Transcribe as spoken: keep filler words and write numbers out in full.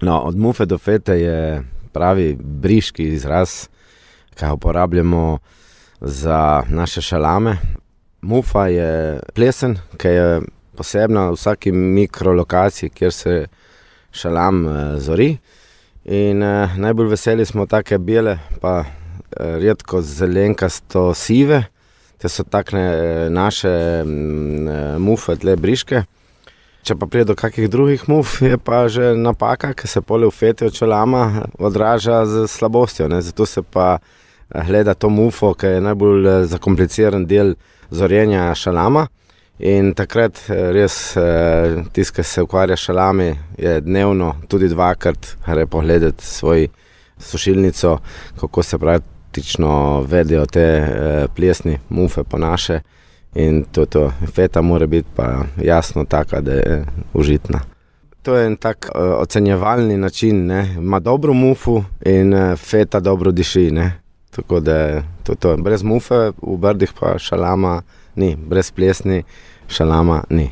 No, od mufe do fete je pravi briški izraz, ki ga uporabljamo za naše šalame. Mufa je plesen, ki je posebna v vsaki mikrolokaciji, kjer se šalam zori. In eh, najbolj veseli smo take bele, pa eh, redko zelenkasto sive. Te so takne eh, naše eh, mufe, tle briške. Če pa prije do kakih drugih muf, je pa že napaka, ki se pole v feti od šalama odraža z slabostjo. Ne? Zato se pa gleda to mufo, ki je najbolj zakompliciran del zorjenja šalama. In takrat res tisti, ki se ukvarja šalami, je dnevno tudi dvakrat gre pogledati svoj sušilnico, kako se praktično vedejo te plesni mufe po naše. In to, to feta mora biti pa jasno taka, da je užitna. To je en tak uh, ocenjevalni način, ne. Ima dobro mufu in uh, feta dobro diši, ne. Tako da to, to. Brez mufe v Brdih pa šalama ni, brez plesni šalama ni.